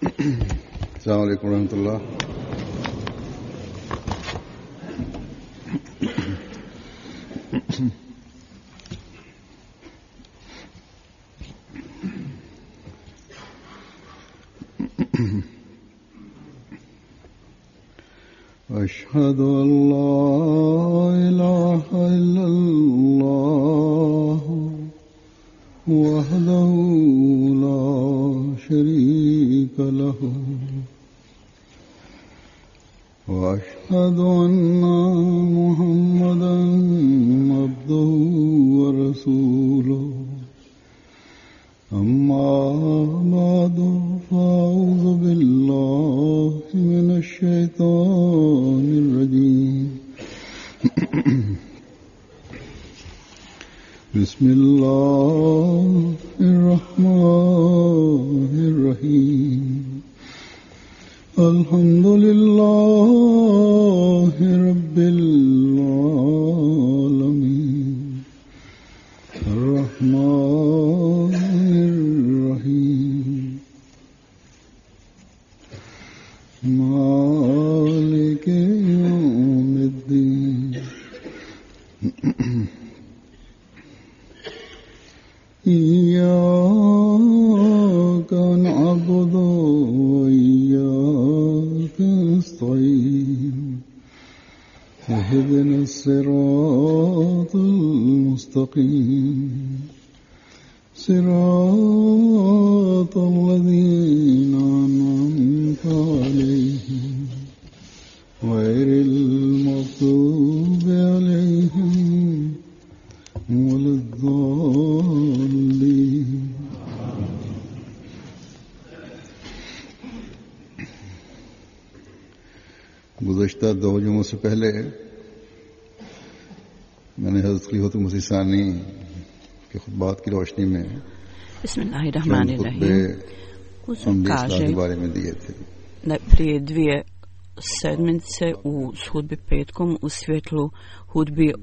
السلام عليكم ورحمة الله. أشهد أن لا إله إلا الله وحده لا شريك له وأشهد أن محمدا عبده ورسوله أما بعد فأعوذ بالله من الشيطان الرجيم بسم الله الرحمن الرحيم الحمد لله رب العالمين الرحمن الرحيم مالك يوم الدين إياك نعبد وإياك نستعين اهدنا الصراط المستقيم صراط الذين أنعمت عليهم غير المغضوب عليهم ولا الضالين. गुज़श्ता 2 जुमों से पहले मैंने हज़रत खलीफतुल मसीह सानी के खुतबात की रोशनी में Kaže के बारे में दिए थे. da prije 2 sedmice u hudbi petkom u svjetlu hudbi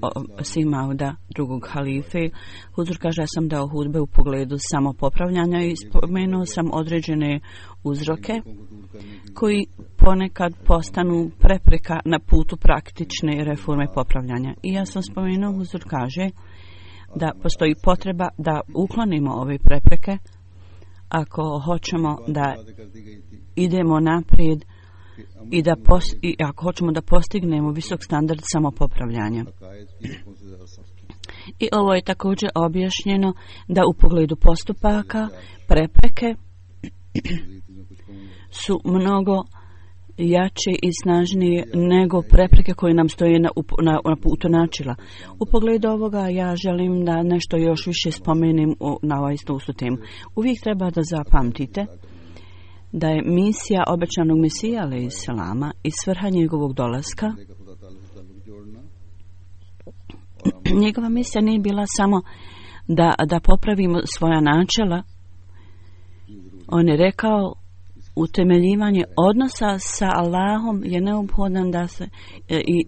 Simauda drugog halife. Huzur kaže, ja sam dao hudbe u pogledu samopopravljanja i spomenuo sam određene uzroke koji ponekad postanu prepreka na putu praktične reforme popravljanja. I ja sam spomenuo, Huzur kaže, da postoji potreba da uklonimo ove prepreke ako hoćemo da idemo naprijed i ako hoćemo da postignemo visok standard samopopravljanja. I ovo je također objašnjeno da u pogledu postupaka prepreke su mnogo jače i snažnije nego prepreke koje nam stoje na putu načela. U pogledu ovoga ja želim da nešto još više spomenem na ovaj istu temu. Uvijek treba da zapamtite da je misija obećanog Mesija alejselama i svrha njegovog dolaska, njegova misija nije bila samo da popravimo svoja načela. On je rekao, utemeljivanje odnosa sa Allahom je neophodan da se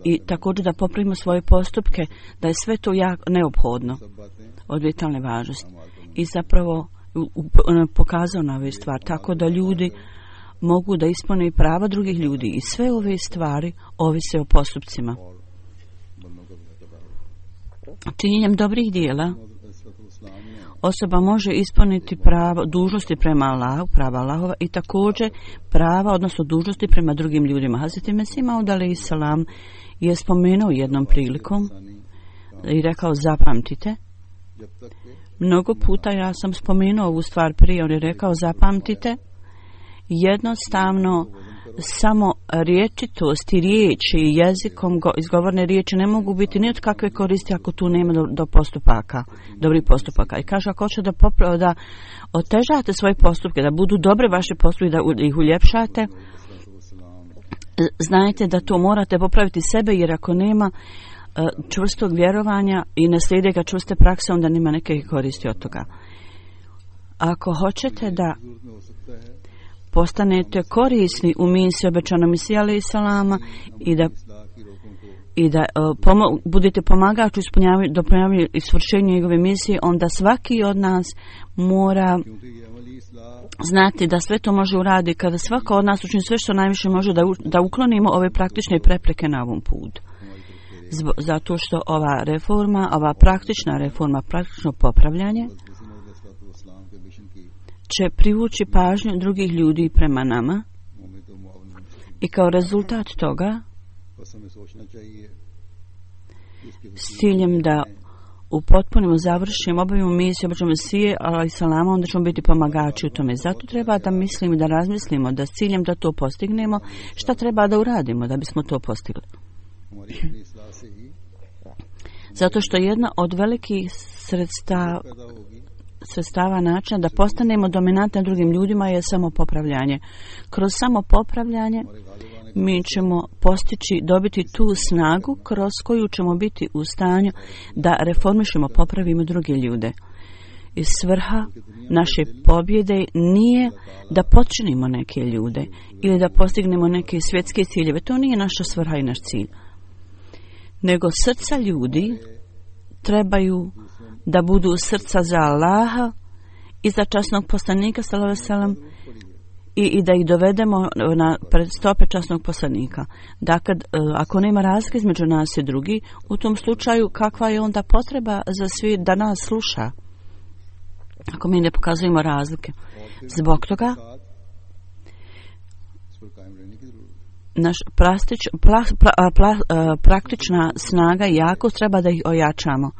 i također da popravimo svoje postupke, da je sve to jako neophodno od vitalne važnosti. I zapravo pokazao na ove stvari tako da ljudi mogu da ispune prava drugih ljudi i sve ove stvari ovise o postupcima. Činjenjem dobrih dijela osoba može ispuniti pravo, dužnosti prema Allahu, prava Allahova i također prava, odnosno dužnosti prema drugim ljudima. Hazreti Mesih Maud alejselam je spomenuo jednom prilikom i rekao, zapamtite. Mnogo puta ja sam spomenuo ovu stvar prije, on je rekao, zapamtite, jednostavno samo riječitost i riječi i jezikom izgovorne riječi ne mogu biti ni od kakve koristi ako tu nema do postupaka, dobrih postupaka. I kaže, ako hoćete da otežate svoje postupke, da budu dobre vaše postupke, da ih uljepšate, znajte da to morate popraviti sebe, jer ako nema čvrstog vjerovanja i ne slijede ga čvrste prakse, onda nema neke koristi od toga. Ako hoćete da postanete korisni u misiji obećanog Mesija alejselama i da budete pomagač u dopunjavanju i svršenju njegove misije, onda svaki od nas mora znati da sve to može uraditi kada svako od nas učini sve što najviše može da uklonimo ove praktične prepreke na ovom putu. Zato što ova reforma, ova praktična reforma, praktično popravljanje će privući pažnju drugih ljudi prema nama i kao rezultat toga s ciljem da upotpunimo, završimo, obavimo misiju, obavimo Mesije, ali salama, onda ćemo biti pomagači u tome. Zato treba da mislimo i da razmislimo da s ciljem da to postignemo, šta treba da uradimo da bismo to postigli. Zato što jedna od velikih sredstava načina da postanemo dominantni drugim ljudima je samopopravljanje. Kroz samopopravljanje mi ćemo postići, dobiti tu snagu kroz koju ćemo biti u stanju da reformišemo, popravimo druge ljude. I svrha naše pobjede nije da počinimo neke ljude ili da postignemo neke svjetske ciljeve. To nije naša svrha i naš cilj. Nego srca ljudi trebaju da budu srca za Allaha i za časnog poslanika sallallahu alejhi ve sellem i da ih dovedemo na pred stope časnog poslanika. Dakle, ako nema razlike između nas i drugi, u tom slučaju kakva je onda potreba za svi da nas sluša? Ako mi ne pokazujemo razlike. Zbog toga naš praktična snaga i jakost treba da ih ojačamo.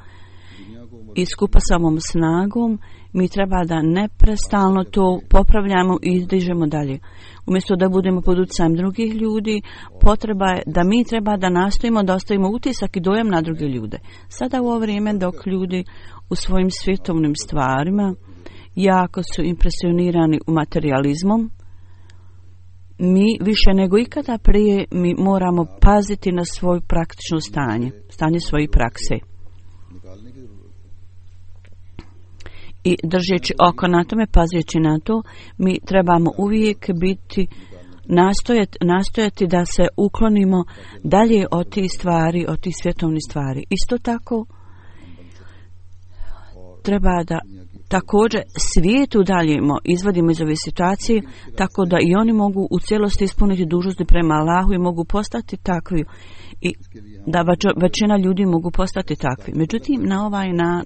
I skupa sa ovom snagom mi treba da neprestalno to popravljamo i izdižemo dalje. Umjesto da budemo pod utjecajem drugih ljudi, potreba je da mi treba da nastojimo da ostavimo utisak i dojam na druge ljude. Sada u ovo vrijeme dok ljudi u svojim svjetovnim stvarima jako su impresionirani u materializmom, mi više nego ikada prije mi moramo paziti na svoju praktično stanje svoje prakse. I držeći oko na tome, pazeći na to, mi trebamo uvijek biti, nastojati da se uklonimo dalje od tih stvari, od tih svjetovnih stvari. Isto tako, treba da također svijetu daljemo, izvadimo iz ove situacije, tako da i oni mogu u cijelosti ispuniti dužnosti prema Allahu i mogu postati takvi i da većina ljudi mogu postati takvi. Međutim,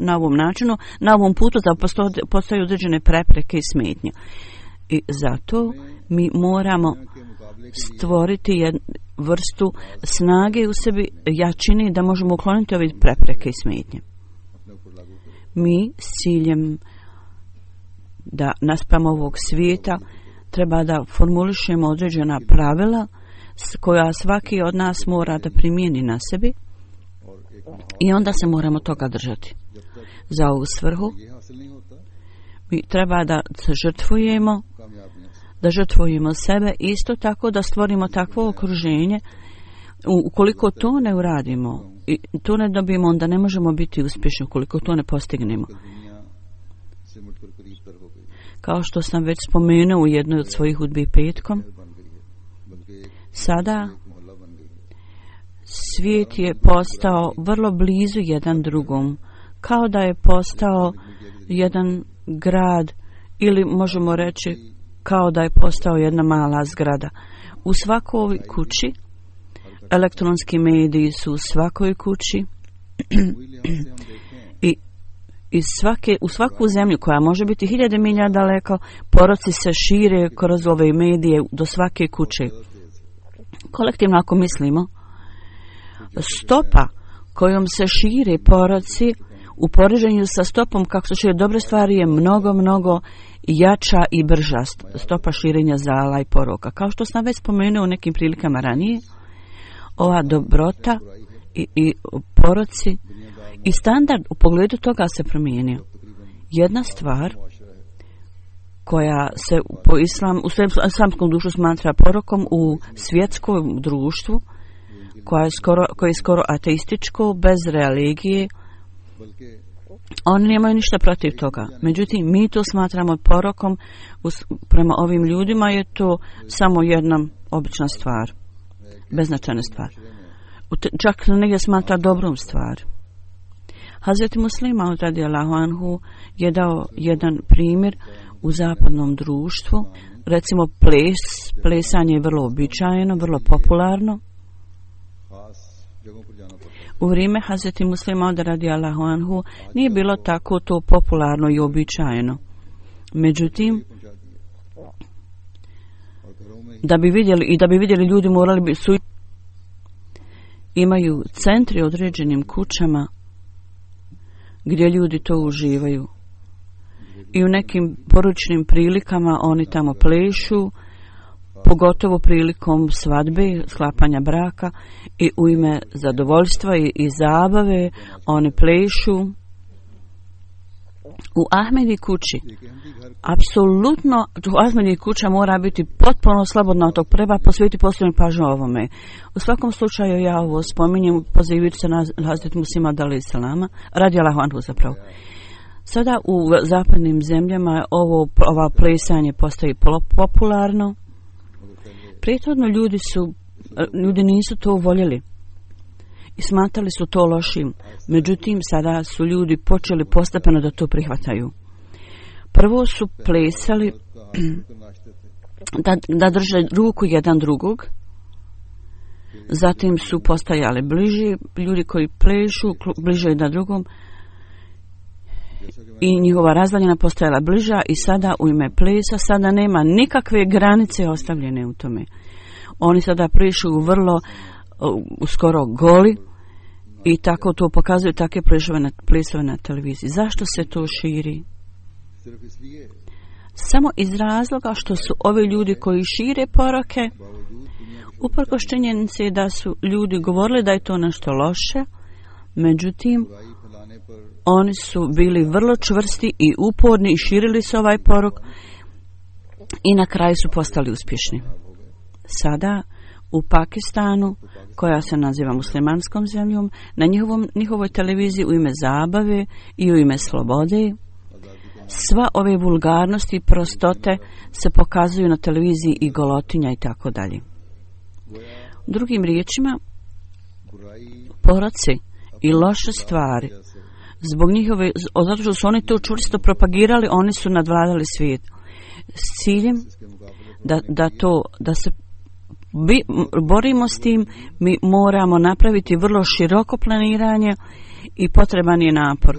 na ovom načinu, na ovom putu da postoje određene prepreke i smetnje. I zato mi moramo stvoriti jednu vrstu snage u sebi, jačine, da možemo ukloniti ove prepreke i smetnje. Mi s ciljem da naspram ovog svijeta treba da formulišemo određena pravila koja svaki od nas mora da primijeni na sebi i onda se moramo toga držati. Za ovu svrhu mi treba da se žrtvujemo sebe, isto tako da stvorimo takvo okruženje. Ukoliko to ne uradimo i to ne dobijemo, onda ne možemo biti uspješni ukoliko to ne postignemo. Kao što sam već spomenuo u jednoj od svojih hudbi petkom, sada svijet je postao vrlo blizu jedan drugom, kao da je postao jedan grad ili možemo reći kao da je postao jedna mala zgrada. U svakoj kući, elektronski mediji su u svakoj kući u svaku zemlju koja može biti 1000 milja daleko, poroci se šire kroz ove medije do svake kuće. Kolektivno ako mislimo, stopa kojom se šire poroci u poređenju sa stopom kako se šire dobre stvari je mnogo jača i brža stopa širenja zala i poroka. Kao što sam već spomenuo u nekim prilikama ranije, ova dobrota i poroci i standard u pogledu toga se promijenio. Jedna stvar koja se u islamskom društvu smatra porokom u svjetskom društvu, koje je skoro ateističko, bez religije, oni nemaju ništa protiv toga. Međutim, mi to smatramo porokom, prema ovim ljudima je to samo jedna obična stvar, beznačajna stvar. Čak negdje smatra dobrom stvar. Hazreti Muslima radijallahu anhu je dao jedan primjer u zapadnom društvu. Recimo plesanje je vrlo običajeno, vrlo popularno. U vrijeme Hazreti Muslima Mauda radijallahu anhu nije bilo tako to popularno i običajeno. Međutim, da bi vidjeli ljudi morali bi su imaju centri određenim kućama gdje ljudi to uživaju. I u nekim poručnim prilikama oni tamo plešu, pogotovo prilikom svadbe, sklapanja braka, i u ime zadovoljstva i zabave oni plešu. U Ahmedi kući, apsolutno, u Ahmedi kuća mora biti potpuno slobodna od tog, treba posvetiti posebnu pažnju ovome. U svakom slučaju ja ovo spominjem, pozivajući se na Hazreti Muslima Mauda radijallahu anhu zapravo. Sada u zapadnim zemljama ova plesanje postaje popularno. Prethodno ljudi nisu to voljeli i smatrali su to lošim. Međutim, sada su ljudi počeli postepeno da to prihvataju. Prvo su plesali da drže ruku jedan drugog. Zatim su postajali bliži, ljudi koji plešu bliže jedan drugom i njihova razdaljina postajala bliža i sada u ime plesa sada nema nikakve granice ostavljene u tome. Oni sada plešu vrlo skoro goli i tako to pokazuju takve plesove na televiziji. Zašto se to širi? Samo iz razloga što su ovi ljudi koji šire poruke, uprkos činjenici da su ljudi govorili da je to nešto loše, međutim oni su bili vrlo čvrsti i uporni i širili su ovaj poruk i na kraju su postali uspješni. Sada u Pakistanu, koja se naziva muslimanskom zemljom, na njihovoj televiziji u ime zabave i u ime slobode, sva ove vulgarnosti i prostote se pokazuju na televiziji i golotinja i tako dalje. Drugim riječima, poroci i loše stvari, zato što su oni to čvrsto propagirali, oni su nadvladali svijet. S ciljem da se borimo s tim, mi moramo napraviti vrlo široko planiranje i potreban je napor.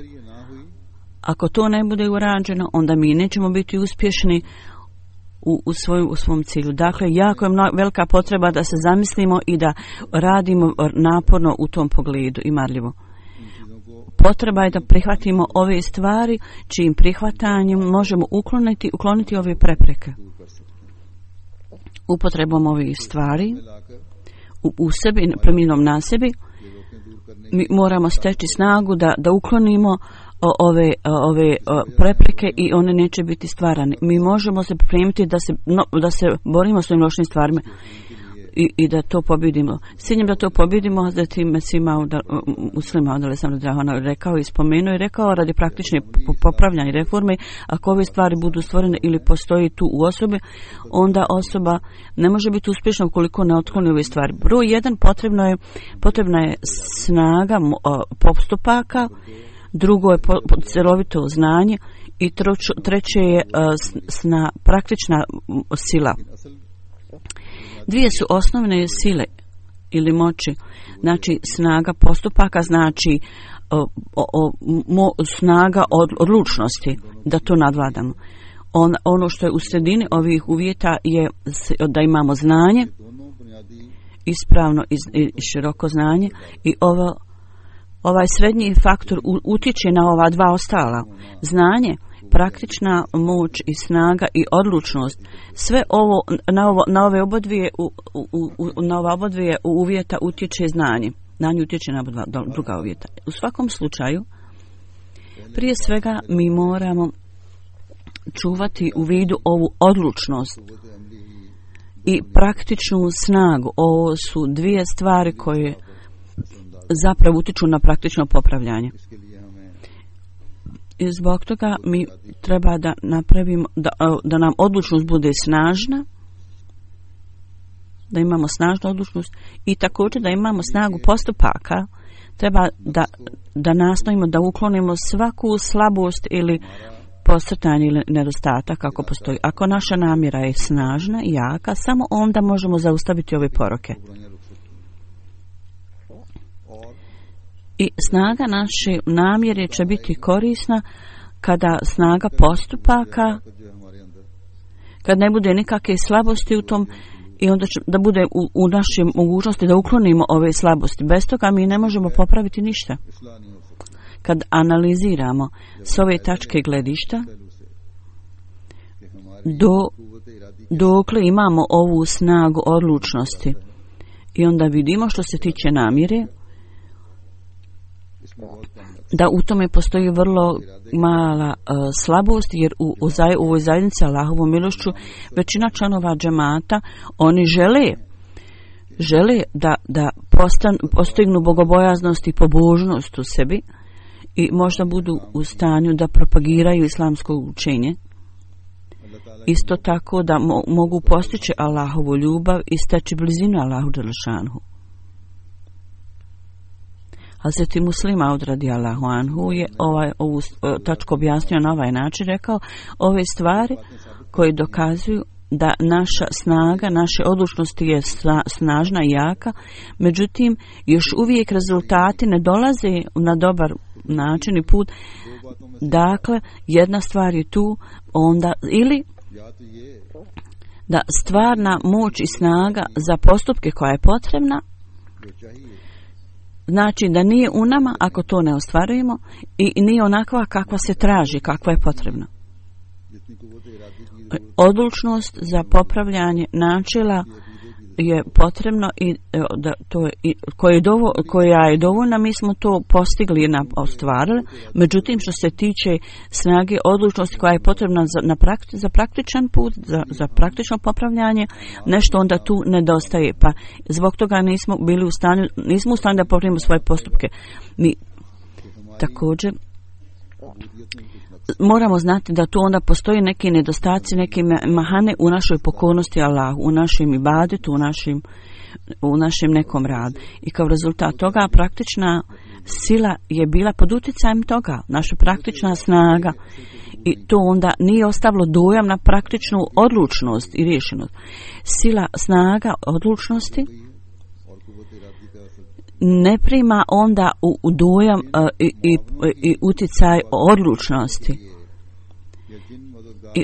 Ako to ne bude urađeno, onda mi nećemo biti uspješni u svom cilju. Dakle, jako je velika potreba da se zamislimo i da radimo naporno u tom pogledu i marljivo. Potreba je da prihvatimo ove stvari, čijim prihvatanjem možemo ukloniti ove prepreke. Upotrebom ovih stvari u sebi, primjenom na sebi, mi moramo steći snagu da uklonimo ove prepreke i one neće biti stvarane. Mi možemo se pripremiti da se borimo s ovim lošim stvarima i da to pobjedimo. S ciljem da to pobjedimo, zatim Muslima Mauda rekao i spomenuo i rekao radi praktične popravljanja i reforme, ako ove stvari budu stvorene ili postoji tu u osobi, onda osoba ne može biti uspješna ukoliko ne otkloni ove stvari. Broj 1, potrebna je snaga postupaka, drugo je cjelovito znanje i treće je praktična sila. Dvije su osnovne sile ili moći, znači snaga postupaka, znači snaga odlučnosti da to nadvladamo. Ono što je u sredini ovih uvjeta je da imamo znanje, ispravno i široko znanje, i ovaj srednji faktor utječe na ova dva ostala. Znanje, praktična moć i snaga i odlučnost, sve ovo na ove obodvije uvjeta utječe znanje. Znanje utječe na druga uvjeta. U svakom slučaju, prije svega mi moramo čuvati u vidu ovu odlučnost i praktičnu snagu. Ovo su dvije stvari koje zapravo utječu na praktično popravljanje. I zbog toga mi treba da napravimo da nam odlučnost bude snažna, da imamo snažnu odlučnost i također da imamo snagu postupaka. Treba da nastojimo da uklonimo svaku slabost ili posrtanje ili nedostatak ako postoji. Ako naša namjera je snažna i jaka, samo onda možemo zaustaviti ove poroke. I snaga naše namjere će biti korisna kada snaga postupaka, kad ne bude nikakve slabosti u tom, i onda će da bude u našoj mogućnosti da uklonimo ove slabosti. Bez toga mi ne možemo popraviti ništa. Kad analiziramo s ove tačke gledišta, dokle imamo ovu snagu odlučnosti, i onda vidimo što se tiče namjere, da u tome postoji vrlo mala slabost, jer u ovoj zajednici Allahovom milošću većina članova džemata, oni žele da postignu bogobojaznost i pobožnost u sebi i možda budu u stanju da propagiraju islamsko učenje. Isto tako da mogu postići Allahovu ljubav i steći blizinu Allahu dželešanhu. Hazreti Muslim Maud radijallahu anhu je ovu tačku objasnio na ovaj način, rekao ove stvari koje dokazuju da naša snaga, naše odlučnosti je snažna i jaka, međutim još uvijek rezultati ne dolaze na dobar način i put. Dakle, jedna stvar je tu onda, ili da stvarna moć i snaga za postupke koja je potrebna, znači da nije u nama ako to ne ostvarujemo, i nije onakva kakva se traži, kakva je potrebna. Odlučnost za popravljanje načela je potrebno i da to je, koja je dovoljna, mi smo to postigli i ostvarili. Međutim, što se tiče snage odlučnosti koja je potrebna za praktičan put, za praktično popravljanje, nešto onda tu nedostaje, pa zbog toga nismo u stanju da popravimo svoje postupke. Mi također moramo znati da tu onda postoji neki nedostaci, neke mahane u našoj pokornosti Allahu, u našem ibadetu, u našem nekom radu. I kao rezultat toga praktična sila je bila pod utjecajem toga, naša praktična snaga. I to onda nije ostavilo dojam na praktičnu odlučnost i rješenost. Sila, snaga odlučnosti ne prima onda u dojam i utjecaj odlučnosti. I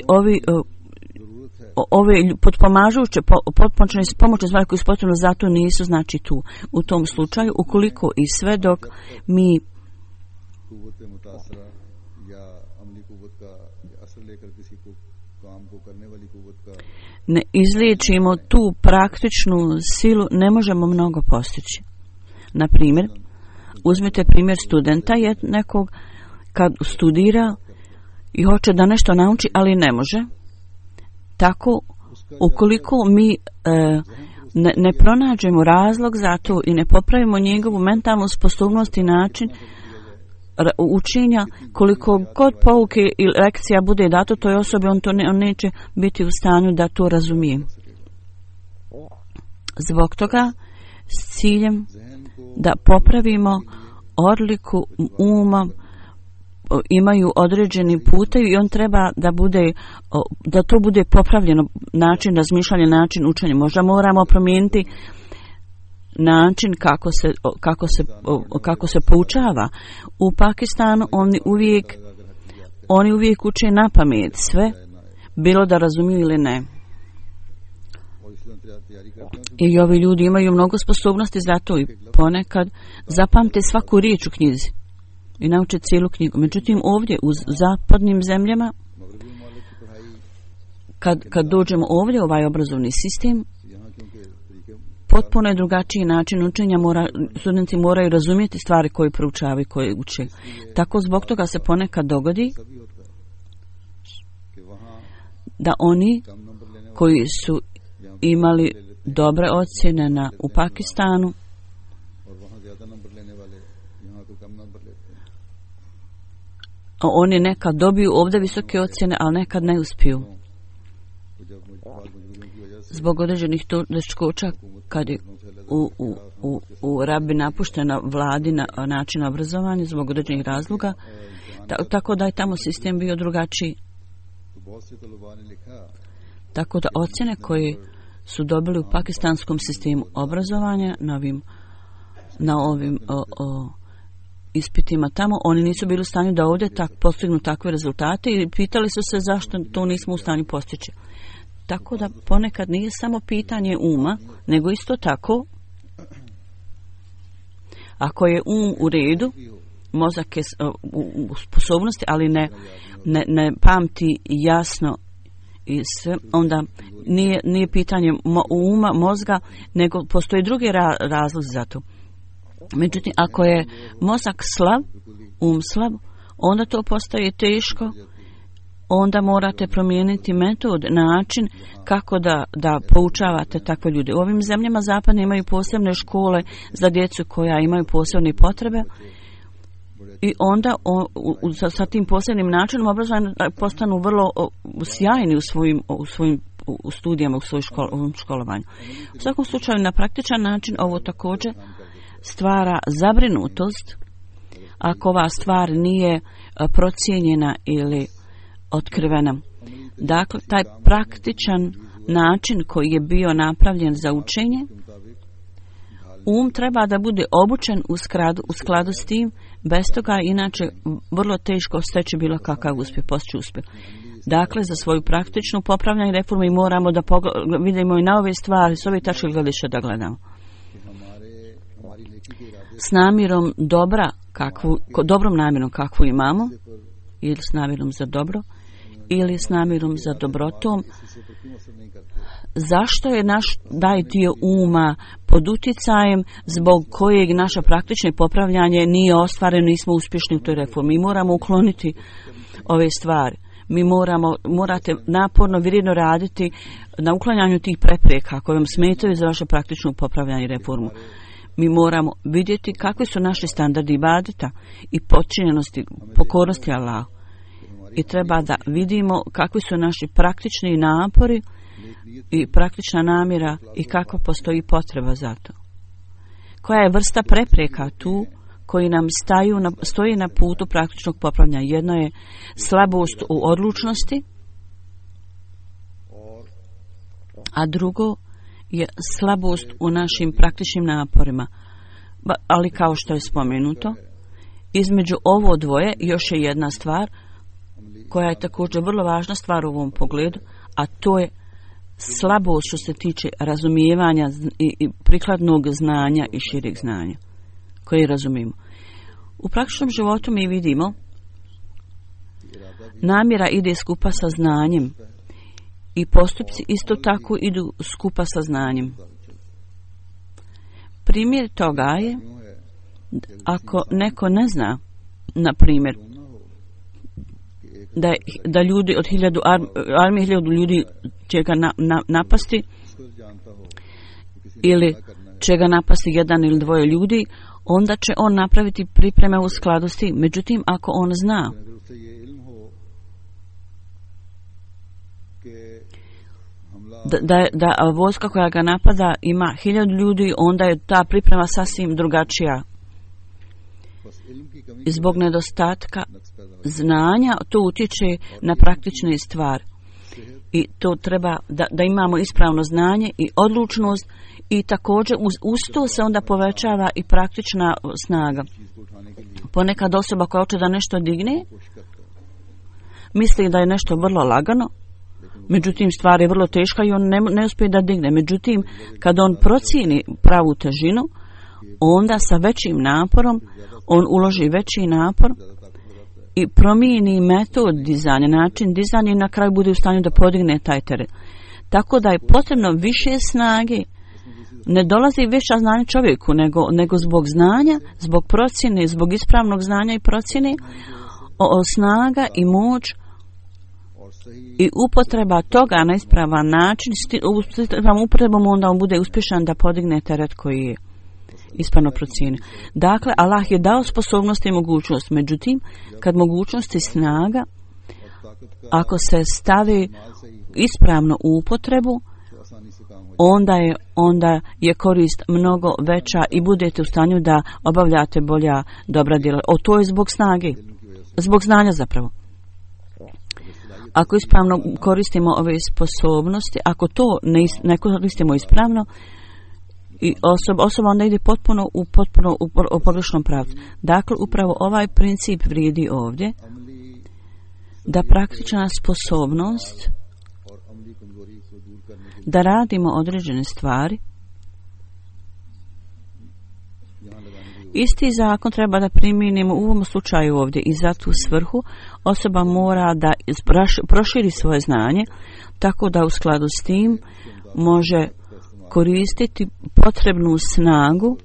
ove potpomažuće, potpomoćne pomoćne stvari koje su potrebne za to nisu znači tu. U tom slučaju, ukoliko i sve dok mi ne izliječimo tu praktičnu silu, ne možemo mnogo postići. Na primjer, uzmite primjer studenta nekog kad studira i hoće da nešto nauči, ali ne može. Tako, ukoliko mi ne pronađemo razlog za to i ne popravimo njegovu mentalnu sposobnost i način učenja, koliko god pouke i lekcija bude dato toj osobi, on neće biti u stanju da to razumije. Zbog toga, s ciljem da popravimo odliku uma, imaju određeni putevi i on treba da to bude popravljeno, način razmišljanja, način učenja. Možda moramo promijeniti način kako se poučava. U Pakistanu oni uvijek uče na pamet sve, bilo da razumiju ili ne. I ovi ljudi imaju mnogo sposobnosti za to i ponekad zapamte svaku riječ u knjizi i nauče cijelu knjigu. Međutim, ovdje u zapadnim zemljama, kad dođemo ovdje u ovaj obrazovni sistem, potpuno je drugačiji način učenja, studenti moraju razumjeti stvari koje proučavaju, koje uče. Tako zbog toga se ponekad dogodi da oni koji su imali dobre ocjene u Pakistanu, oni nekad dobiju ovdje visoke ocjene, ali nekad ne uspiju. Zbog određenih teškoća, kad je u Rabi napuštena vladina način obrazovanja, zbog određenih razloga, tako da je tamo sistem bio drugačiji. Tako da ocjene koje su dobili u pakistanskom sistemu obrazovanja na ovim ispitima tamo, oni nisu bili u stanju da ovdje postignu takve rezultate i pitali su se zašto to nismo u stanju postići. Tako da ponekad nije samo pitanje uma, nego isto tako, ako je u redu, mozak je u sposobnosti, ali ne pamti jasno i sve, onda nije pitanje uma, mozga, nego postoje drugi razlozi za to. Međutim, ako je mozak slab, slab, onda to postaje teško, onda morate promijeniti metod, način kako da poučavate takve ljude. U ovim zemljama zapadne imaju posebne škole za djecu koja imaju posebne potrebe i onda sa tim posebnim načinom obrazovanja postanu vrlo sjajni u svojim studijama, u svojom školovanju. U svakom slučaju, na praktičan način ovo također stvara zabrinutost ako ova stvar nije procijenjena ili otkrivena. Dakle, taj praktičan način koji je bio napravljen za učenje, treba da bude obučen u skladu s tim, bez toga inače vrlo teško steći bilo kakav uspjeh, postići uspjeh. Dakle, za svoju praktičnu popravljanje reformu i moramo da vidimo i na ove stvari, s ove tačke gledišta da gledamo. S namjerom dobrom namjerom kakvu imamo, ili s namjerom za dobro, ili s namjerom za dobrotom, zašto je naš taj dio uma pod utjecajem zbog kojeg naše praktično popravljanje nije ostvareno, nismo uspješni u toj reformi. Mi moramo ukloniti ove stvari. Morate naporno, vrijedno raditi na uklanjanju tih prepreka koje vam smetaju za vaše praktično popravljanje i reformu. Mi moramo vidjeti kakvi su naši standardi ibadeta i podčinjenosti, pokornosti Allahu. I treba da vidimo kakvi su naši praktični napori i praktična namjera i kako postoji potreba za to. Koja je vrsta prepreka tu koji nam stoji na putu praktičnog popravljanja? Jedno je slabost u odlučnosti, a drugo je slabost u našim praktičnim naporima. Ali kao što je spomenuto, između ovo dvoje još je jedna stvar koja je također vrlo važna stvar u ovom pogledu, a to je slabost što se tiče razumijevanja i prikladnog znanja i šireg znanja koje razumijemo. U praktičnom životu mi vidimo namjera ide skupa sa znanjem i postupci isto tako idu skupa sa znanjem. Primjer toga je ako neko ne zna, na primjer, da ljudi od 1000 ljudi će ga napasti ili će ga napasti jedan ili dvoje ljudi, onda će on napraviti pripreme u skladu s tim. Međutim, ako on zna da vojska koja ga napada ima 1000 ljudi, onda je ta priprema sasvim drugačija. Zbog nedostatka znanja to utječe na praktične stvari. I to treba da imamo ispravno znanje i odlučnost i također uz to se onda povećava i praktična snaga. Ponekad osoba koja hoće da nešto digne misli da je nešto vrlo lagano, međutim stvar je vrlo teška i on ne uspije da digne. Međutim, kad on procijeni pravu težinu, onda sa većim naporom on uloži veći napor i promijeni metod dizanja, način dizanja i na kraju bude u stanju da podigne taj teret. Tako da je potrebno više snage. Ne dolazi veća znanja čovjeku, nego zbog znanja, zbog procjene, zbog ispravnog znanja i procjene, snaga i moć i upotreba toga na ispravan način, upotrebom onda on bude uspješan da podigne teret koji je ispravno procijenio. Dakle, Allah je dao sposobnost i mogućnost, međutim, kad mogućnost i snaga, ako se stavi ispravno u upotrebu, onda je korist mnogo veća i budete u stanju da obavljate bolja dobra djela. To je zbog snage, zbog znanja zapravo. ako ispravno koristimo ove sposobnosti, ako to ne koristimo ispravno, i osoba onda ide potpuno u pogrešnom pravcu. Dakle, upravo ovaj princip vrijedi ovdje, da praktična sposobnost da radimo određene stvari, isti zakon treba da primijenimo u ovom slučaju ovdje i za tu svrhu osoba mora da proširi svoje znanje tako da u skladu s tim može koristiti potrebnu snagu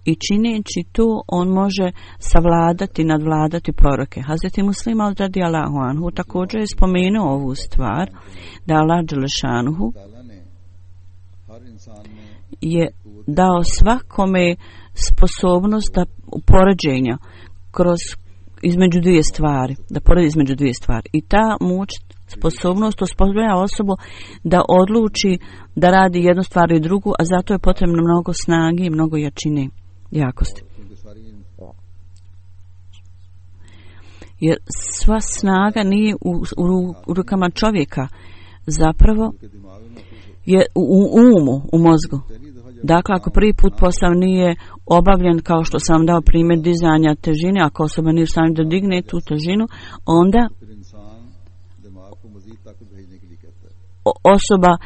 i čineći to on može savladati, nadvladati proroke. Hazreti Muslima radijallahu anhu također je spomenuo ovu stvar, da Allah dželešanuhu je dao svakome sposobnost da poređenja između dvije stvari, da poredi između dvije stvari. I ta moć, sposobnost osposobljava osobu da odluči da radi jednu stvar i drugu, a zato je potrebno mnogo snage i mnogo jačine, jakosti. Jer sva snaga nije u rukama čovjeka, zapravo je u umu, u mozgu. Dakle, ako prvi put posao nije obavljen, kao što sam dao primjer dizanja težine, ako osoba nije u stanju da digne tu težinu, onda osoba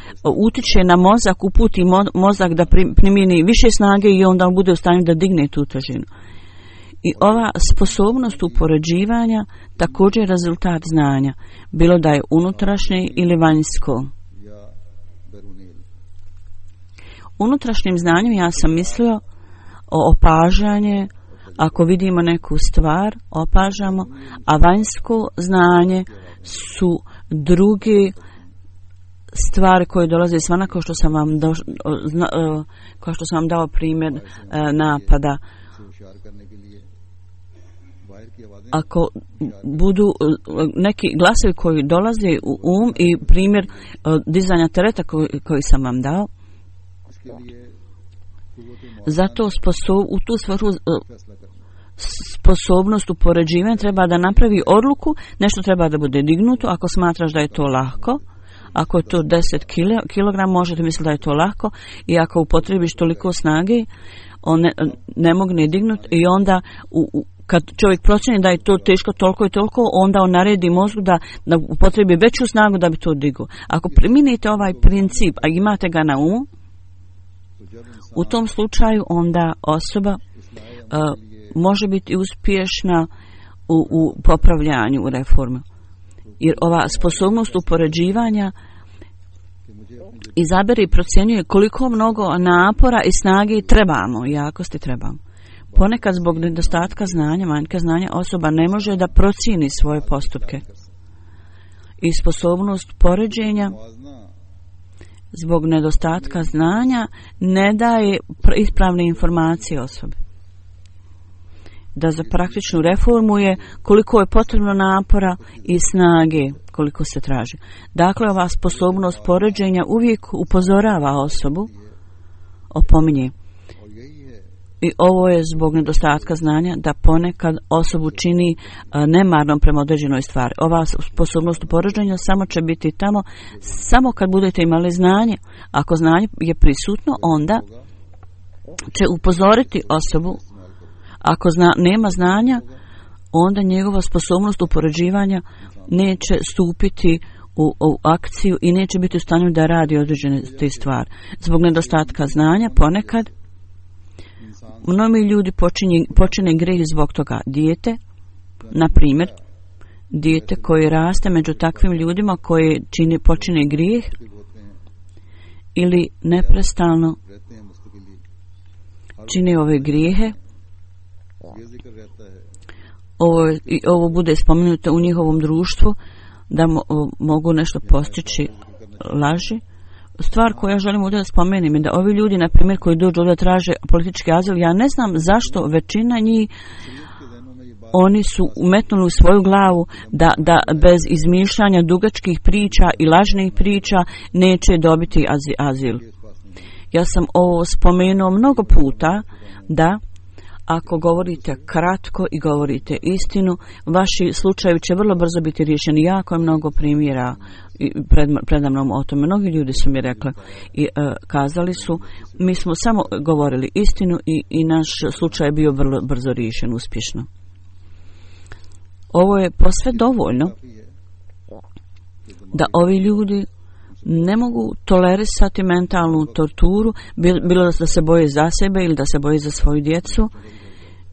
utiče na mozak, uputi mozak da primijeni više snage i onda on bude u stanju da digne tu težinu. I ova sposobnost upoređivanja također je rezultat znanja, bilo da je unutrašnje ili vanjsko. Unutrašnjim znanjem ja sam mislio o opažanje, ako vidimo neku stvar, opažamo, a vanjsko znanje su druge stvari koje dolaze izvana, kao što sam vam dao primjer napada. Ako budu neki glasovi koji dolaze u i primjer dizanja tereta koji sam vam dao, zato u tu svrhu sposobnost upoređivanja treba da napravi odluku, nešto treba da bude dignuto, ako smatraš da je to lahko, ako je to 10 kg, možete misliti da je to lahko, i ako upotrebiš toliko snage, on ne mogne dignuti, i onda kad čovjek procjeni da je to teško toliko i toliko, onda on naredi mozgu da upotrebi veću snagu da bi to digao. Ako primijenite ovaj princip, a imate ga na umu, u tom slučaju onda osoba može biti uspješna u popravljanju, u reformu. Jer ova sposobnost upoređivanja izabere i procjenjuje koliko mnogo napora i snage trebamo, jakosti trebamo. Ponekad zbog nedostatka znanja, manjka znanja, osoba ne može da procijeni svoje postupke. I sposobnost poređenja zbog nedostatka znanja ne daje ispravne informacije osobi. Da za praktičnu reformu je koliko je potrebno napora i snage koliko se traži. Dakle, ova sposobnost poređenja uvijek upozorava osobu, opominje. I ovo je zbog nedostatka znanja, da ponekad osobu čini nemarnom prema određenoj stvari. Ova sposobnost poređenja samo će biti tamo samo kad budete imali znanje. Ako znanje je prisutno, onda će upozoriti osobu. Ako nema znanja, onda njegova sposobnost upoređivanja neće stupiti u akciju i neće biti u stanju da radi određene te stvari. Zbog nedostatka znanja ponekad mnogi ljudi počine grijeh zbog toga. Dijete, na primjer, dijete koje raste među takvim ljudima koji počine grijeh ili neprestano čine ove grijehe, ovo bude spomenuto u njihovom društvu, da mogu nešto postići laži. Stvar koju ja želim ovdje da spomenem je da ovi ljudi, na primjer, koji dođu ovdje traže politički azil, ja ne znam zašto većina njih, oni su umetnuli u svoju glavu da bez izmišljanja dugačkih priča i lažnih priča neće dobiti azil. Ja sam ovo spomenuo mnogo puta, da ako govorite kratko i govorite istinu, vaši slučajevi će vrlo brzo biti riješeni. Jako je mnogo primjera predamnom o tome. Mnogi ljudi su mi rekli i kazali su, mi smo samo govorili istinu i naš slučaj je bio vrlo brzo riješen, uspješno. Ovo je posve dovoljno da ovi ljudi ne mogu tolerisati mentalnu torturu, bilo da se boje za sebe ili da se boje za svoju djecu,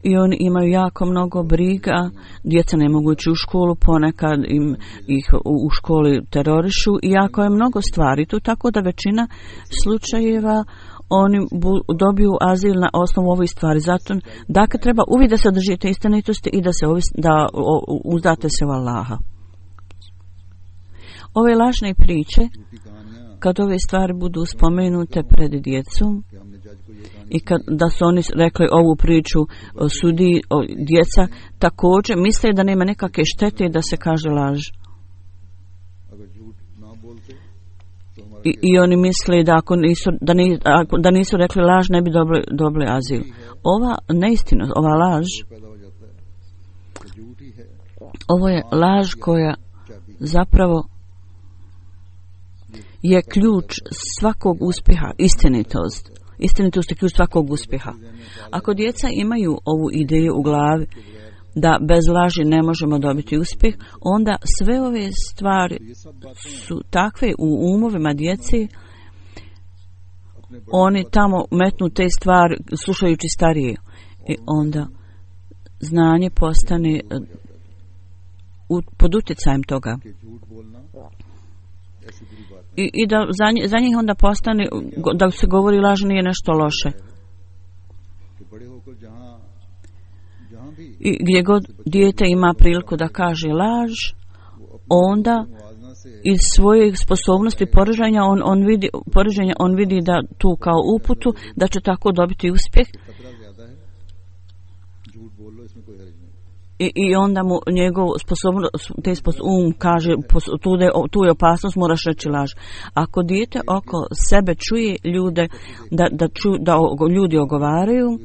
i oni imaju jako mnogo briga. Djeca ne mogu ići u školu, ponekad ih u školi terorišu i jako je mnogo stvari tu, tako da većina slučajeva oni dobiju azil na osnovu ovih stvari. Zato dakle treba uvijek da se držite istinitosti i da uzdate se u Allaha. Ove lažne priče, kad ove stvari budu spomenute pred djecom i da su oni rekli ovu priču sudi djeca, također misle da nema nekakve štete da se kaže laž. I oni misle da da nisu rekli laž ne bi dobili azil. Ova neistina, ova laž, ovo je laž koja zapravo je ključ svakog uspjeha, istinitost. Istinitost je ključ svakog uspjeha. Ako djeca imaju ovu ideju u glavi da bez laži ne možemo dobiti uspjeh, onda sve ove stvari su takve u umovima djeci, oni tamo metnu te stvari slušajući starije i onda znanje postane pod utjecajem toga. I da za njih onda postane da se govori laž nije nešto loše. I gdje god dijete ima priliku da kaže laž, onda iz svoje sposobnosti poređenja on vidi da tu kao uputu da će tako dobiti uspjeh. I onda mu njegov kaže tu je opasnost, moraš reći laž. Ako dijete oko sebe čuje ljude da ljudi ogovaraju,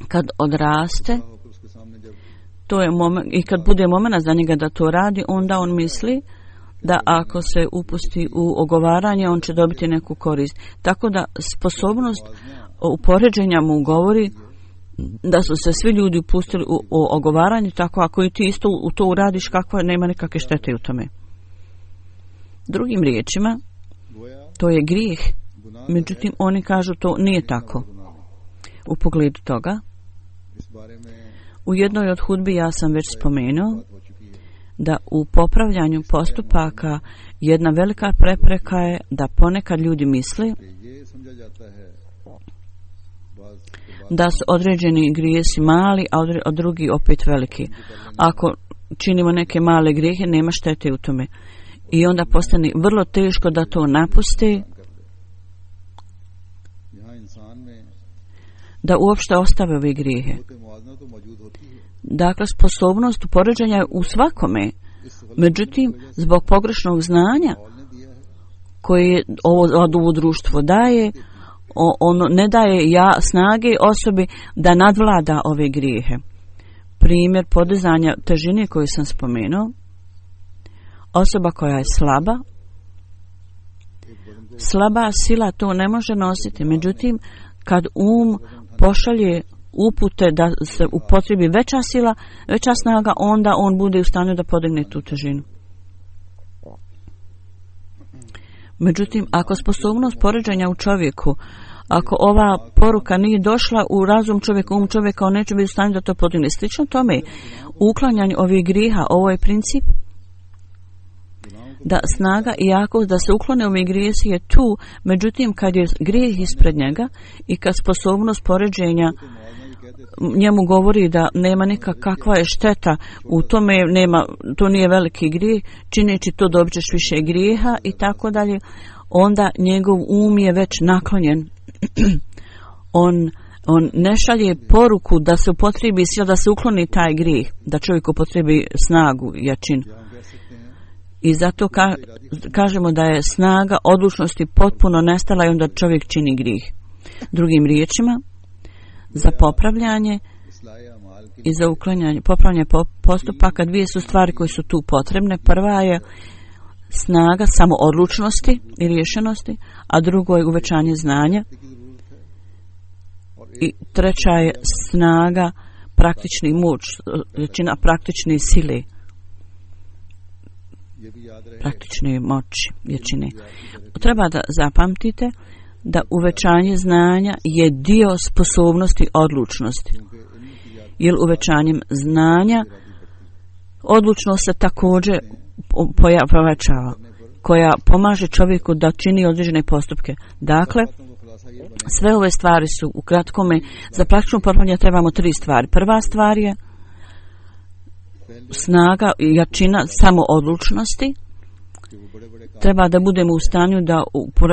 kad odraste, to je moment, i kad bude moment za njega da to radi, onda on misli da ako se upusti u ogovaranje, on će dobiti neku korist. Tako da sposobnost upoređenja mu govori da su se svi ljudi upustili u ogovaranje, tako ako i ti isto u to uradiš, kakva nema nikakve štete u tome. Drugim riječima, to je grijeh, međutim oni kažu to nije tako. U pogledu toga, u jednoj od hudbi ja sam već spomenuo da u popravljanju postupaka jedna velika prepreka je da ponekad ljudi misle da su određeni grijesi mali, a drugi opet veliki. Ako činimo neke male grijehe, nema štete u tome. I onda postane vrlo teško da to napuste, da uopšte ostave ove grijehe. Dakle, sposobnost upoređenja je u svakome. Međutim, zbog pogrešnog znanja koje ovo društvo daje, ono ne daje snage osobi da nadvlada ove grijehe. Primjer podizanja težine koju sam spomenuo, osoba koja je slaba sila to ne može nositi. Međutim, kad pošalje upute da se upotrebi veća snaga, onda on bude u stanju da podigne tu težinu. Međutim, ako sposobnost poređenja u čovjeku, ako ova poruka nije došla u razum čovjeka, čovjeka, on neće biti u stanju da to podigne. Slično tome, uklanjanje ovih grijeha, ovo je princip da snaga i jakost da se uklone ove grijesi je tu, međutim kad je grijeh ispred njega i kad sposobnost poređenja njemu govori da nema kakva je šteta u tome, to nije veliki grijeh, čineći to dobit ćeš više grijeha i tako dalje, onda njegov je već naklonjen. On ne šalje poruku da se upotrebi sila, da se ukloni taj grijeh, da čovjek upotrebi snagu, jačinu. I zato kažemo da je snaga odlučnosti potpuno nestala i onda čovjek čini grijeh. Drugim riječima, za popravljanje i za uklanjanje, popravljanje postupaka. Dvije su stvari koje su tu potrebne. Prva je snaga samoodlučnosti i rješenosti, a drugo je uvećanje znanja. I treća je snaga praktični moć, jačina praktične sile, praktične moći, jačine. Treba da zapamtite da uvećanje znanja je dio sposobnosti odlučnosti. Jer uvećanjem znanja odlučnost se također povećava, koja pomaže čovjeku da čini određene postupke. Dakle, sve ove stvari su u kratkome, za praktično popravljanje trebamo 3 stvari. Prva stvar je snaga i jačina samoodlučnosti. Treba da budemo u stanju da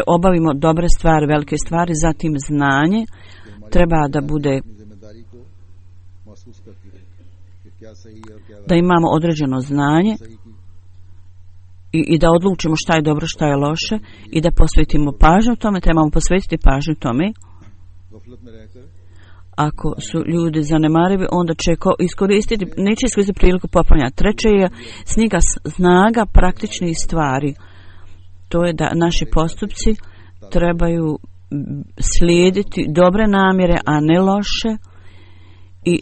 obavimo dobre stvari, velike stvari, zatim znanje. Treba da bude da imamo određeno znanje i da odlučimo šta je dobro, šta je loše i da posvetimo pažnju tome. Trebamo posvetiti pažnju tome. Ako su ljudi zanemarivi, onda će neće iskoristiti priliku popravljanja. Treće je snaga praktičnih stvari. To je da naši postupci trebaju slijediti dobre namjere, a ne loše. I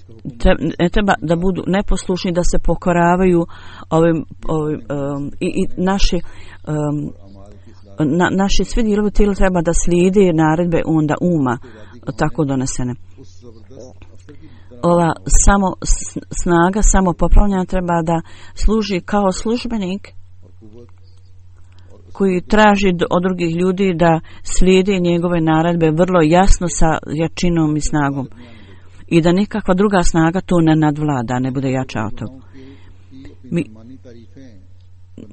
ne treba da budu neposlušni, da se pokoravaju i naši svi dijelovi tijela treba da slijede naredbe onda uma tako donesene. Ova snaga samopopravljanja treba da služi kao službenik koji traži od drugih ljudi da slijede njegove naredbe vrlo jasno sa jačinom i snagom. I da nikakva druga snaga to ne nadvlada, ne bude jača od toga.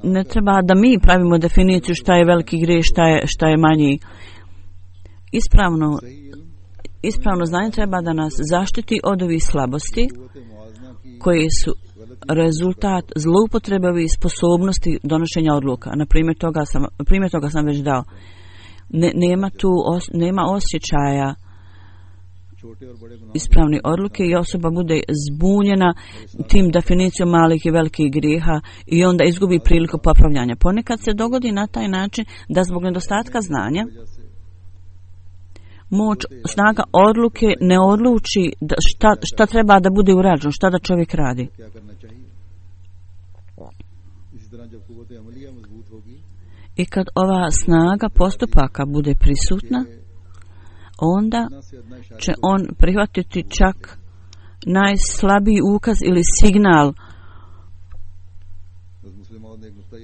Ne treba da mi pravimo definiciju šta je veliki grijeh, šta je manji. Ispravno znanje treba da nas zaštiti od ovih slabosti koje su rezultat zloupotrebe ovih sposobnosti donošenja odluka. Na primjer toga sam već dao. Nema osjećaja ispravne odluke i osoba bude zbunjena tim definicijom malih i velikih grijeha i onda izgubi priliku popravljanja. Ponekad se dogodi na taj način da zbog nedostatka znanja snaga odluke ne odluči šta treba da bude urađeno, šta da čovjek radi. I kad ova snaga postupaka bude prisutna, onda će on prihvatiti čak najslabiji ukaz ili signal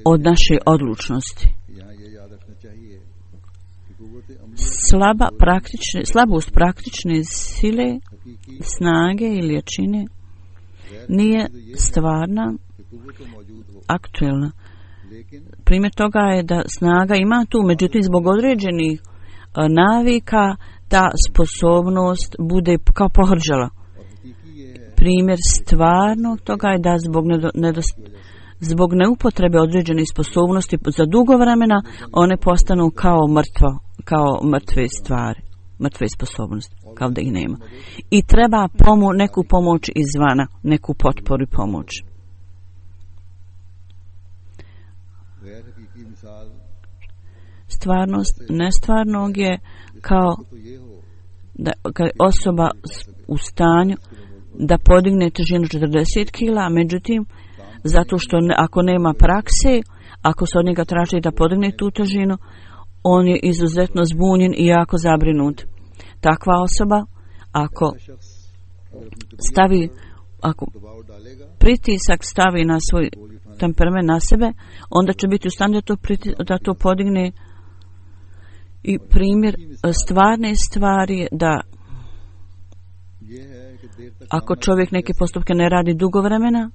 od naše odlučnosti. Slabost praktične sile, snage ili jačine nije stvarna, aktuelna. Primjer toga je da snaga ima tu, međutim zbog određenih navika ta sposobnost bude kao pohrđala. Primjer stvarnog toga je da zbog neupotrebe određenih sposobnosti za dugo vremena one postanu kao mrtve stvari, mrtve sposobnosti, kao da ih nema. I treba neku pomoć izvana, neku potporu i pomoć. Stvarnost nestvarnog je kao da kad osoba u stanju da podigne težinu 40 kila, međutim, zato što ako nema prakse, ako se od njega traži da podigne tu težinu, on je izuzetno zbunjen i jako zabrinut. Takva osoba, ako pritisak stavi na svoj temperament na sebe, onda će biti u stanju da to podigne. I primjer stvarne stvari je da ako čovjek neke postupke ne radi dugo vremena,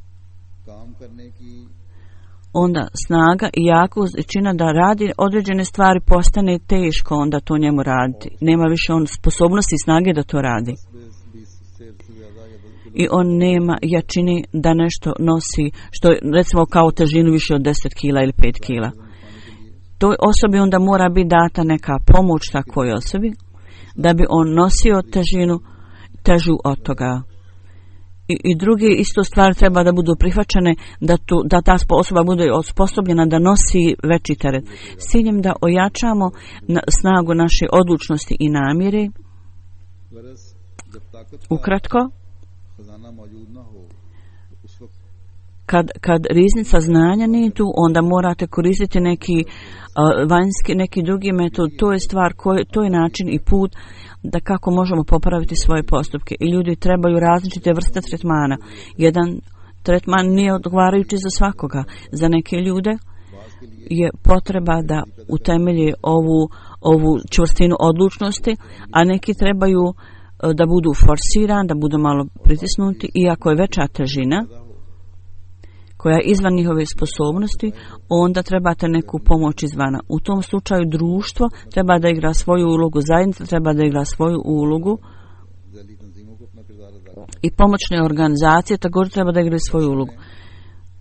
onda snaga i jakost čina da radi određene stvari postane teško onda to njemu raditi. Nema više on sposobnosti i snage da to radi. I on nema jačine da nešto nosi, što recimo kao težinu više od 10 kila ili 5 kila. Toj osobi onda mora biti data neka pomoć takvoj osobi da bi on nosio težinu težu od toga. I druge isto stvari treba da budu prihvaćene, da ta osoba bude osposobljena da nosi veći teret. S ciljem da ojačamo snagu naše odlučnosti i namjere. Ukratko, kad riznica znanja nije tu, onda morate koristiti neki vanjski, neki drugi metod. To je stvar, to je način i put da kako možemo popraviti svoje postupke. I ljudi trebaju različite vrste tretmana. Jedan tretman nije odgovarajući za svakoga. Za neke ljude je potreba da utemelje ovu čvrstinu odlučnosti, a neki trebaju da budu forsirani, da budu malo pritisnuti, iako je veća težina koja je izvan njihove sposobnosti, onda trebate neku pomoć izvana. U tom slučaju društvo treba da igra svoju ulogu, zajednica treba da igra svoju ulogu i pomoćne organizacije također treba da igraju svoju ulogu.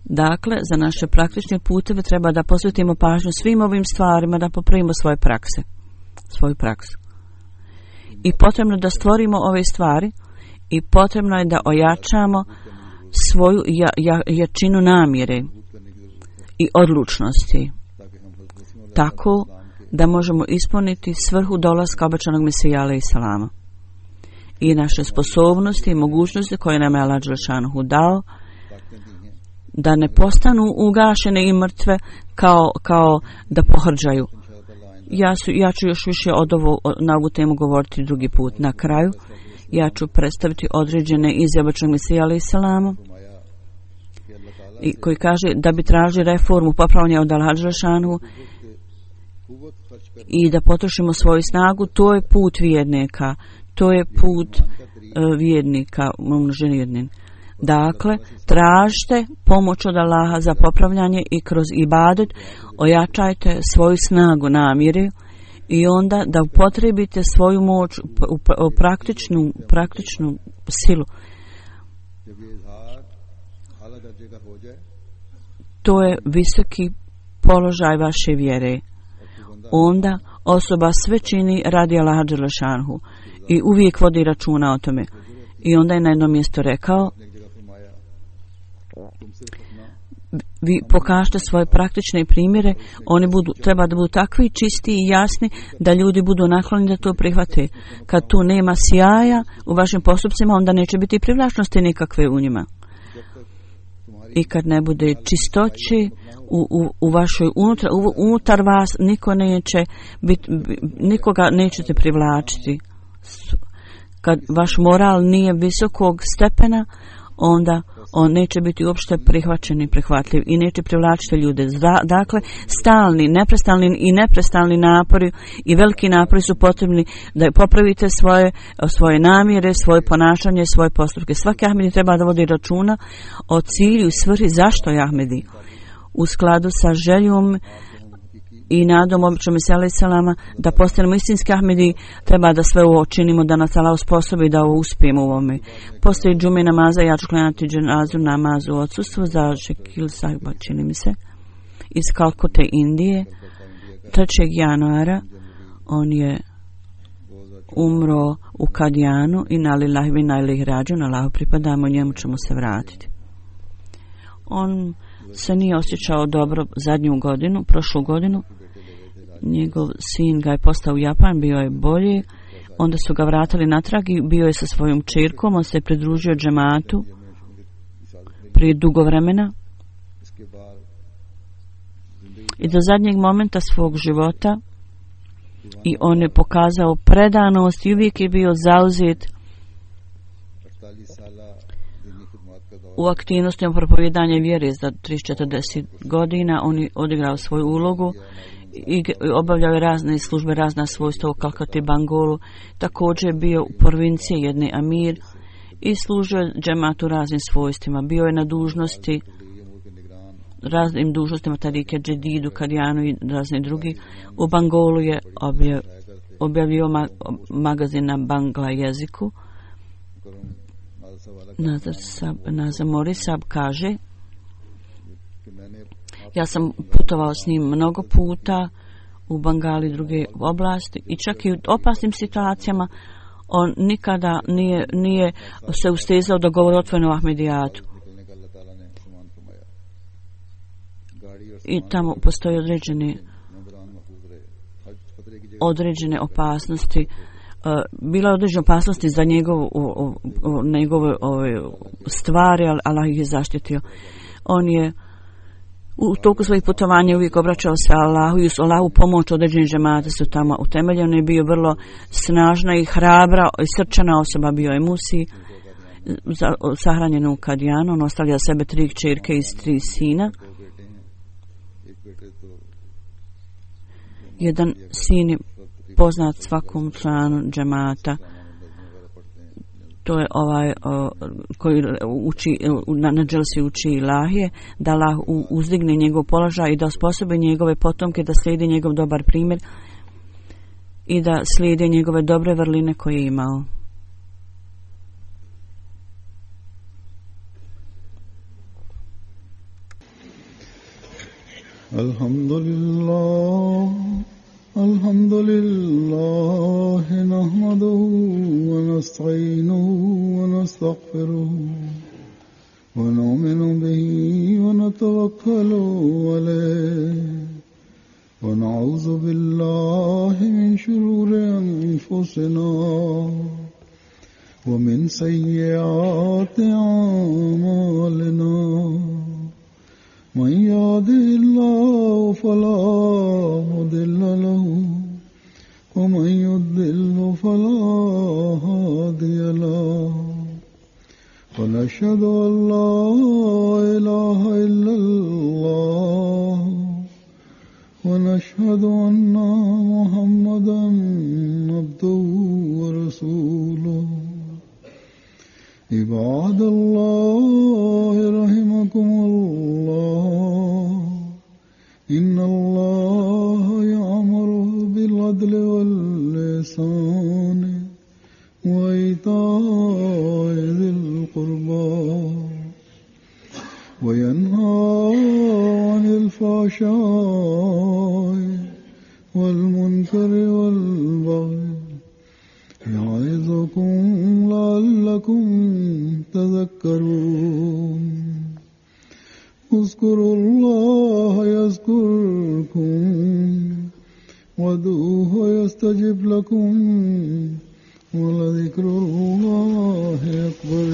Dakle, za naše praktične puteve treba da posvetimo pažnju svim ovim stvarima, da popravimo svoju praksu. I potrebno da stvorimo ove stvari i potrebno je da ojačamo svoju jačinu namjere i odlučnosti, tako da možemo ispuniti svrhu dolaska obećanog Mesija alejhi selama i naše sposobnosti i mogućnosti koje nam je Allah dželešanohu dao, da ne postanu ugašene i mrtve kao da pohrđaju. Ja ću još više na ovu temu govoriti drugi put. Na kraju ja ću predstaviti određene izjave obećanog Mesija alejhi selama koji kaže da bi tražili reformu, popravljanje od Allaha dželešanohu i da potrošimo svoju snagu. To je put vjernika. To je put vjernika umnoženi jednin. Dakle, tražite pomoć od Allaha za popravljanje i kroz ibadet ojačajte svoju snagu namjere i onda da upotrijebite svoju moć u praktičnu silu. To je visoki položaj vaše vjere. Onda osoba sve čini radi Allaha dželešanohu i uvijek vodi računa o tome. I onda je na jednom mjestu rekao: vi pokažete svoje praktične primjere, oni treba da budu takvi čisti i jasni da ljudi budu naklonjeni da to prihvate. Kad tu nema sjaja u vašim postupcima, onda neće biti privlačnosti nikakve u njima. I kad ne bude čistoće u vašoj unutar vas, nikoga nećete privlačiti. Kad vaš moral nije visokog stepena, onda on neće biti uopšte prihvaćen i prihvatljiv i neće privlačiti ljude. Dakle, stalni, neprestalni napori i veliki napori su potrebni da popravite svoje namjere, svoje ponašanje, svoje postupke. Svaki Ahmedi treba da vodi računa o cilju i svrhi zašto je Ahmedi. U skladu sa željom i nadom običnom Mesija alejhi selama da postanemo istinski Ahmedi, treba da sve ovo činimo, da nas Allah usposobi da ovo uspijemo u ovome. Postoji džume namaza, ja ću klanjati dženazu namazu u odsustvu za Šekil Sahiba, čini mi se, iz Kalkute, Indije, 3. januara. On je umro u Kadijanu i na lillahi ve inna ilejhi rađiun, Allahu pripadamo, njemu ćemo se vratiti. On se nije osjećao dobro prošlu godinu. Njegov sin ga je postao u Japan, bio je bolji, onda su ga vratili natrag i bio je sa svojom čerkom, on se je pridružio džematu prije dugo vremena i do zadnjeg momenta svog života i on je pokazao predanost i uvijek je bio zauzet u aktivnostima propovijedanja vjere. Za 30-40 godina on je odigrao svoju ulogu i obavljao je razne službe, razna svojstva u Kalkati, Bangolu. Također je bio u provinciji jedne Amir i služio džematu raznim svojstvima. Bio je na dužnosti, raznim dužnostima Tarike, Džedidu, Kadijanu i razni drugi. U Bangolu je objavio magazin na bangla jeziku. Nazar Morisab kaže: ja sam putovao s njim mnogo puta u Bangali i druge oblasti i čak i u opasnim situacijama On nikada nije se ustezao da govori otvoreno o Ahmedijatu. I tamo postoje određene opasnosti. Bila je određena opasnosti za njegove stvari, ali Allah ih je zaštitio. On je u toku svojih putovanja uvijek obraćao se Allahu i uz Allahu pomoć određeni džemati su tamo utemeljeni. On je bio vrlo snažna i hrabra i srčana osoba, bio je Musi, sahranjen u Kadijanu. On ostavlja sebe 3 kćerke i 3 sina. Jedan sin je poznat svakom članu džemata. To je koji uči, na dželsi uči ilahije, da Allah uzdigne njegov položaj i da osposobi njegove potomke da slijedi njegov dobar primjer i da slijedi njegove dobre vrline koje je imao. Alhamdulillah nahmaduhu wa nasta'inuhu wa nastaghfiruhu wa nu'minu bihi wa natawakkalu alayhi wa na'udhu billahi min shururi anfusina wa min sayyiati a'malina. من يهده الله فلا مضل له ومن يضلل فلا هادي له ونشهد أن لا إله إلا الله ونشهد أن محمدا عبده ورسوله. عباد الله رحمكم الله إن الله يأمر بالعدل والإحسان وإيتاء ذي القربى وينهى عن الفحشاء والمنكر والبغي يعظكم لعلكم تذكرون. اذكروا الله يذكركم وادعوه يستجب لكم ولذكر الله أكبر.